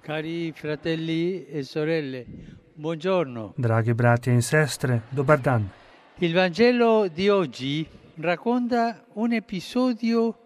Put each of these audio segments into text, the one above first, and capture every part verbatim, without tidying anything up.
Cari fratelli e sorelle, buongiorno. Dragi bratje in sestre, dobar dan. Il Vangelo di oggi racconta un episodio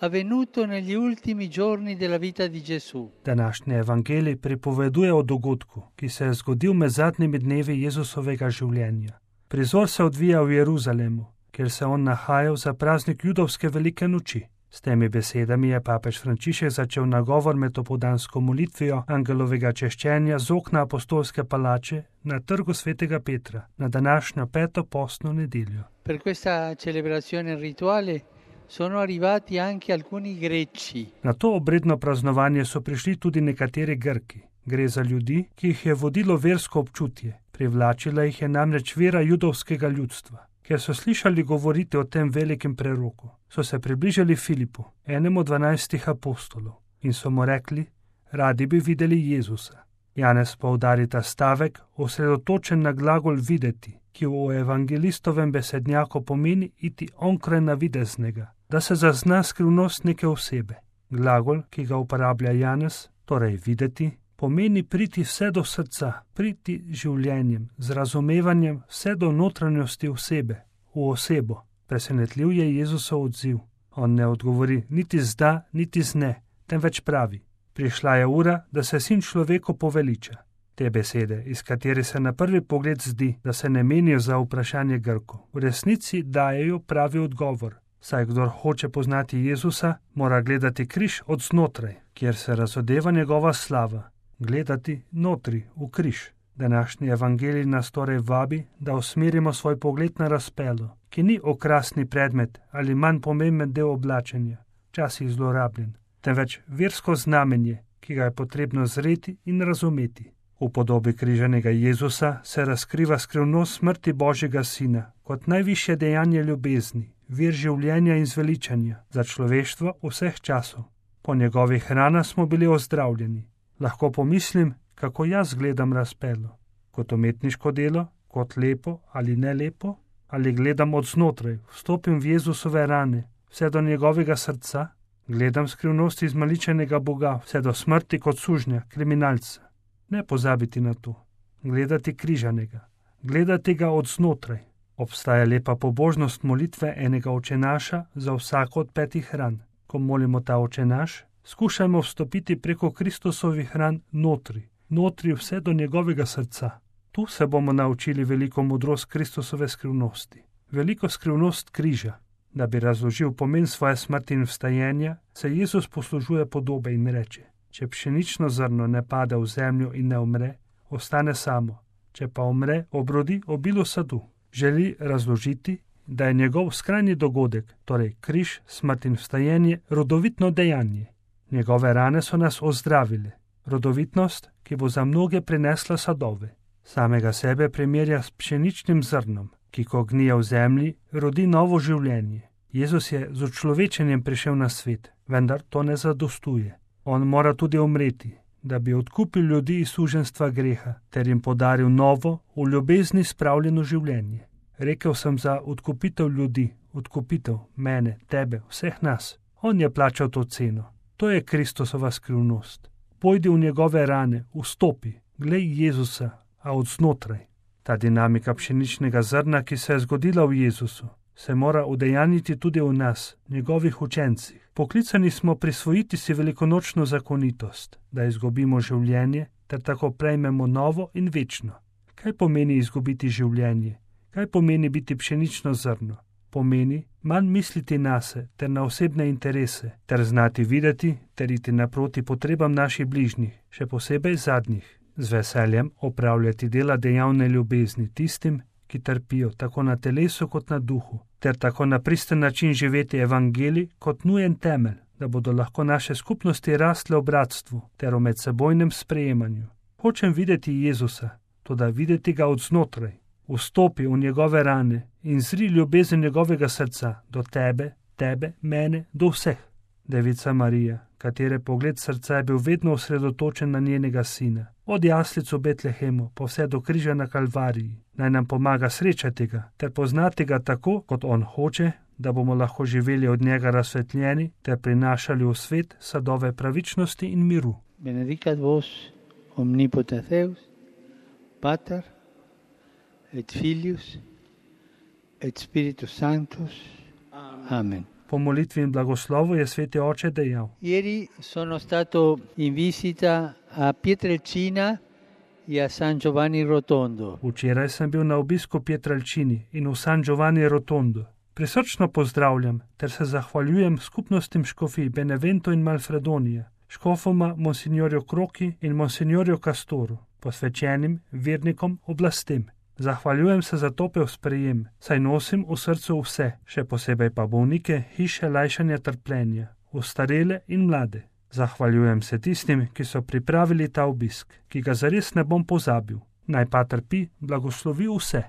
avvenuto negli ultimi giorni della vita di Gesù. Današnji evangelij pripoveduje o dogodku, ki se je zgodil med zadnjimi dnevi Jezusovega življenja. Prizor se odvija v Jeruzalemu, kjer se on nahajal za praznik judovske velike noči. S temi besedami je papež Frančišek začel nagovor med opoldansko molitvijo angelovega češčenja z okna apostolske palače na trgu svetega Petra na današnjo peto postno nedeljo. Per questa celebrazione rituale sono arrivati anche alcuni greci. Na to obredno praznovanje so prišli tudi nekateri Grki. Gre za ljudi, ki jih je vodilo versko občutje. Privlačila jih je namreč vera judovskega ljudstva. Ker so slišali govoriti o tem velikem preroku, so se približali Filipu, enemu dvanajstih apostolov, in so mu rekli, radi bi videli Jezusa. Janez poudari ta stavek, osredotočen na glagol videti, ki v evangelistovem besednjaku pomeni iti onkraj navideznega, da se zazna skrivnost neke osebe. Glagol, ki ga uporablja Janez, torej videti, pomeni priti vse do srca, priti življenjem, z razumevanjem vse do notranjosti osebe, v osebo. Presenetljiv je Jezusov odziv. On ne odgovori niti z da, niti z ne, temveč pravi, prišla je ura, da se sin človeku poveliča. Te besede, iz katerih se na prvi pogled zdi, da se ne menijo za vprašanje Grkov, v resnici dajejo pravi odgovor. Saj kdor hoče poznati Jezusa, mora gledati križ od znotraj, kjer se razodeva njegova slava. Gledati notri, v križ. Današnji evangelij nas torej vabi, da usmerimo svoj pogled na razpelo, ki ni okrasni predmet ali manj pomemben del oblačenja, včasih zlorabljen, temveč versko znamenje, ki ga je potrebno zreti in razumeti. V podobi križanega Jezusa se razkriva skrivnost smrti Božjega Sina kot najvišje dejanje ljubezni, vir življenja in zveličanja za človeštvo vseh časov. Po njegovih ranah smo bili ozdravljeni. Lahko pomislim, kako jaz gledam razpelo. Kot umetniško delo, kot lepo ali ne lepo, ali gledam od znotraj, vstopim v Jezusove rane, vse do njegovega srca, gledam skrivnosti izmaličenega Boga, vse do smrti kot sužnja, kriminalca. Ne pozabiti na to. Gledati križanega. Gledati ga od znotraj. Obstaja lepa pobožnost molitve enega očenaša za vsako od petih ran. Ko molimo ta očenaš, skušajmo vstopiti preko Kristusovih ran notri, notri vse do njegovega srca. Tu se bomo naučili veliko modrost Kristusove skrivnosti, veliko skrivnost križa. Da bi razložil pomen svoje smrti in vstajenja, se Jezus poslužuje podobe in reče, če pšenično zrno ne pade v zemljo in ne umre, ostane samo, če pa umre, obrodi obilo sadu. Želi razložiti, da je njegov skrajni dogodek, torej križ, smrt in vstajenje, rodovitno dejanje. Njegove rane so nas ozdravile, rodovitnost, ki bo za mnoge prinesla sadove. Samega sebe primerja s pšeničnim zrnom, ki ko gnije v zemlji, rodi novo življenje. Jezus je z učlovečenjem prišel na svet, vendar to ne zadostuje. On mora tudi umreti, da bi odkupil ljudi iz suženjstva greha, ter jim podaril novo, v ljubezni spravljeno življenje. Rekel sem za odkupitev ljudi, odkupitev mene, tebe, vseh nas. On je plačal to ceno. To je Kristusova skrivnost. Pojdi v njegove rane, vstopi, glej Jezusa, a od znotraj. Ta dinamika pšeničnega zrna, ki se je zgodila v Jezusu, se mora udejanjiti tudi v nas, njegovih učencih. Poklicani smo prisvojiti si velikonočno zakonitost, da izgubimo življenje, ter tako prejmemo novo in večno. Kaj pomeni izgubiti življenje? Kaj pomeni biti pšenično zrno? Pomeni manj misliti nase ter na osebne interese, ter znati videti ter iti naproti potrebam naših bližnjih, še posebej zadnjih. Z veseljem opravljati dela dejavne ljubezni tistim, ki trpijo tako na telesu kot na duhu, ter tako na pristen način živeti evangelij kot nujen temelj, da bodo lahko naše skupnosti rastle v bratstvu ter v medsebojnem sprejemanju. Hočem videti Jezusa, toda videti ga od znotraj. Vstopi v njegove rane in zri ljubezen njegovega srca do tebe, tebe, mene, do vseh. Devica Marija, katere pogled srca je bil vedno osredotočen na njenega sina, od jaslic v Betlehemu pa vse do križa na Kalvariji, naj nam pomaga srečati ga ter poznati ga tako, kot on hoče, da bomo lahko živeli od njega razsvetljeni ter prinašali v svet sadove pravičnosti in miru. Benedicat vos omnipotens Deus, Pater et Filius et Spiritus Sanctus. Amen. Po molitvi in blagoslovu je sveti oče dejal: Ieri sono stato in visita a Pietrelcina e a San Giovanni Rotondo. Včeraj sem bil na obisku Pietrelcini in v San Giovanni Rotondo. Prisrčno pozdravljam ter se zahvaljujem skupnostim škofij Benevento in Malfredonije, škofoma Monsignorju Kroki in Monsignorju Castoru, posvečenim vernikom oblastem. Zahvaljujem se za topel sprejem, saj nosim v srcu vse, še posebej pa bolnike hiše lajšanja trpljenja, ostarele in mlade. Zahvaljujem se tistim, ki so pripravili ta obisk, ki ga zares ne bom pozabil. Naj Pater Pi blagoslovi vse.